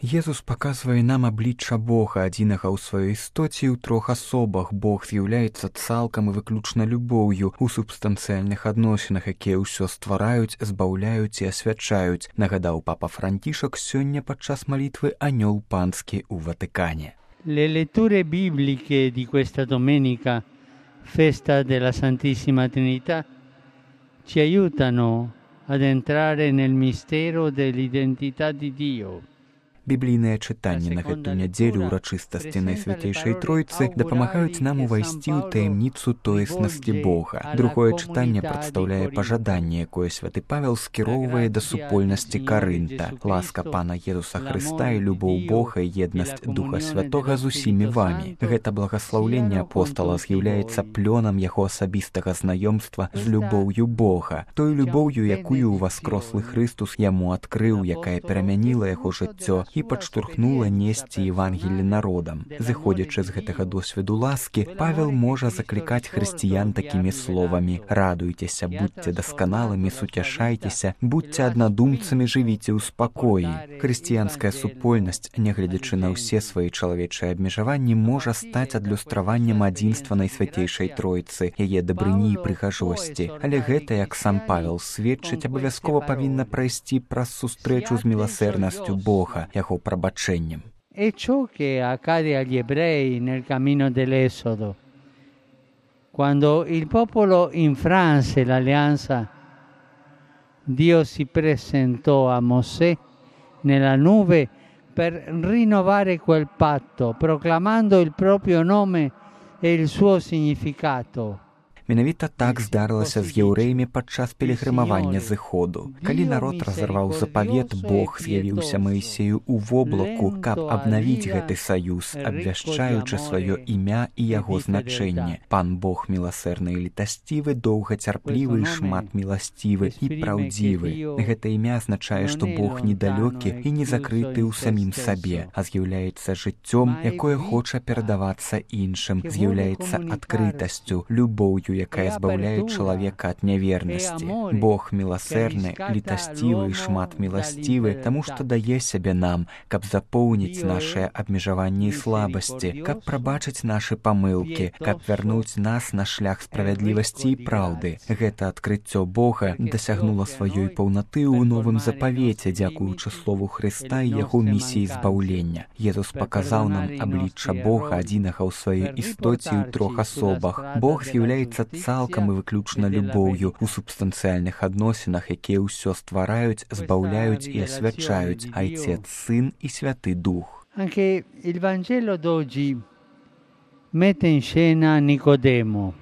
Езус паказвае нам аблічча Бога, адзінага ў сваёй істоце ў трох асобах. Бог з'яўляецца цалкам і выключна любоўю у субстанцыяльных адносінах, якія ўсё ствараюць, збаўляюць і асвячаюць, нагадаў папа Францішак сёння падчас малітвы «Анёл панскі» у Ватыкане. Le letture bibliche di questa domenica, festa della Santissima Trinità, ci aiutano ad entrare nel mistero dell'identità di Dio. Біблійныя чытанні на гэту нядзелю ўрачыстасці Найсвяцейшай Тройцы дапамагаюць нам увайсці ў таямніцу тоеснасці Бога. Другое чытанне прадстаўляе пажаданне, якое святы Павел скіроўвае да супольнасці Карынта. Ласка Пана Езуса Хрыста і любоў Бога і еднасць Духа Святога з усімі вамі. Гэта благаслаўленне апостала з'яўляецца плёнам яго асабістага знаёмства з любоўю Бога, той любоўю, якую ўваскрослы Хрыстус яму адкрыў, якая перамяніла яго жыццё і падштурхнула несці Евангелле народам. Зыходзячы з гэтага досведу ласкі, Павел можа заклікаць хрысціян такімі словамі: «Радуйцеся, будьце дасканалымі, суцяшайцеся, будьце аднадумцамі, жывіце ў спакоі». Хрысціянская супольнасць, нягледзячы на ўсе свае чалавечыя абмежаванні, можа стаць адлюстраваннем адзінства Найсвяцейшай Тройцы, яе дабрыні і прыгажосці. Але гэта, як сам Павел сведчыць, абавязкова павінна прайсці праз сустрэчу з міласэрнасцю Бога, яго прабачэннем. È ciò che accade agli ebrei nel cammino dell'Esodo. Quando il popolo infranse l'alleanza, Dio si presentò a Mosè nella nube per rinnovare quel patto, proclamando il proprio nome e il suo significato. Менавіта так здарылася з яўрэямі падчас пілігрымавання зыходу. Калі народ разарваў запавет, Бог з'явіўся Маісею ў воблаку, каб абнавіць гэты саюз, абвяшчаючы сваё імя і яго значэнне. Пан Бог міласэрны і літасцівы, доўгацярплівы і шматміласцівы і праўдзівы. Гэта імя азначае, што Бог недалёкі і не закрыты ў самім сабе, а з'яўляецца жыццём, якое хоча перадавацца іншым, з'яўляецца адкрытасцю, любоўю, якая збаўляе чалавека ад нявернасці. Бог міласэрны, літасцівы і шматміласцівы, таму што дае сябе нам, каб запоўніць нашыя абмежаванні і слабасці, каб прабачыць нашы памылкі, каб вярнуць нас на шлях справядлівасці і праўды. Гэта адкрыццё Бога дасягнула сваёй паўнаты ў новым запавеце, дзякуючы слову Хрыста і яго місіі збаўлення. Езус паказаў нам аблічча Бога, адзінага ў сваёй істоце ў трох асобах. Бог з'яўляецца цалкам і выключна любоўю у субстанцыяльных адносінах, якія ўсё ствараюць, збаўляюць і асвячаюць, Айцец, Сын і Святы Дух. Anche il Vangelo d'oggi mette in scena Nicodemo,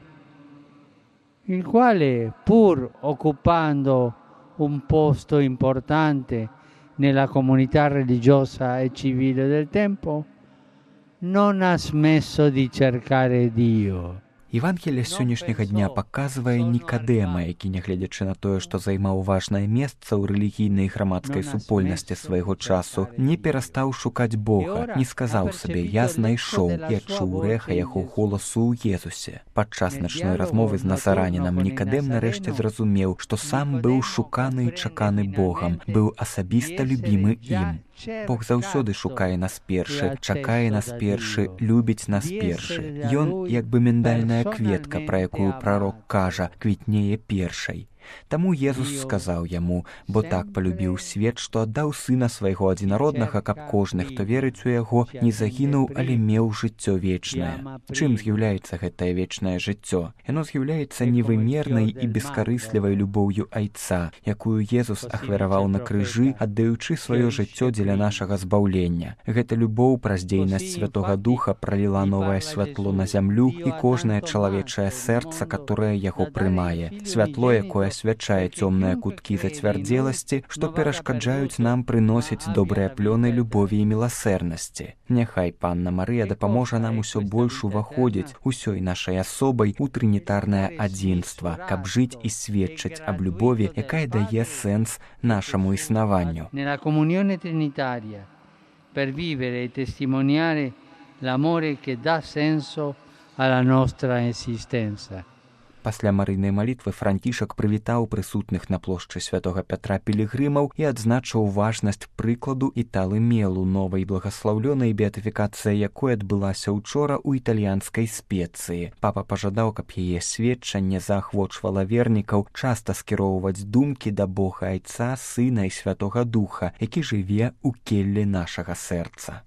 il quale, pur occupando un posto importante nella comunità religiosa e civile del tempo, non ha smesso di cercare Dio. Евангелие сённяшняга дня паказвае Нікадэма, які, нягледзячы на тое, што займаў важнае месца ў рэлігійнай і грамадскай супольнасці свайго часу, не перастаў шукаць Бога, не сказаў сабе: «Я знайшоў», і адчуў рэха яго голасу ў Езусе. Падчас начной размовы з назаранінам Нікадэм нарэшце зразумеў, што сам быў шуканы і чаканы Богам, быў асабіста любімы ім. Бог заўсёды шукае нас першы, чакае нас першы, любіць нас першы. Ён, як бы міндальная кветка, пра якую прарок кажа, квітнее першай. Таму Езус сказаў яму: «Бо так палюбіў свет, што аддаў Сына свайго адзінароднага, каб кожны, хто верыць у яго, не загінуў, але меў жыццё вечнае». Чым з'яўляецца гэтае вечнае жыццё? Яно з'яўляецца невымернай і бескарыслівай любоўю Айца, якую Езус ахвяраваў на крыжы, аддаючы сваё жыццё дзеля нашага збаўлення. Гэта любоў праз дзейнасць Святога Духа праліла новае святло на зямлю і кожнае чалавечае сэрца, которое яго прымае. Святло, якое асвячае цёмныя куткі зацвярдзеласці, што перашкаджаюць нам прыносіць добрыя плёны любові і міласэрнасці. Няхай Панна Марыя дапаможа нам усё больш уваходзіць усёй нашай асобай у трынітарнае адзінства, каб жыць і сведчыць аб любові, якая дае сэнс нашаму існаванню. Nella comunione trinitaria, per vivere e testimoniare l'amore che dà senso alla nostra esistenza. Пасля марыйнай малітвы Францішак прывітаў прысутных на плошчы святога Пятра пілігрымаў і адзначыў важнасць прыкладу Італы Мелу, новай благаслаўлёнай, беатыфікацыя якой адбылася учора ў італьянскай Спецыі. Папа пажадаў, каб яе сведчанне заахвочвала вернікаў часта скіроўваць думкі да Бога Айца, Сына і Святога Духа, які жыве ў келлі нашага сэрца.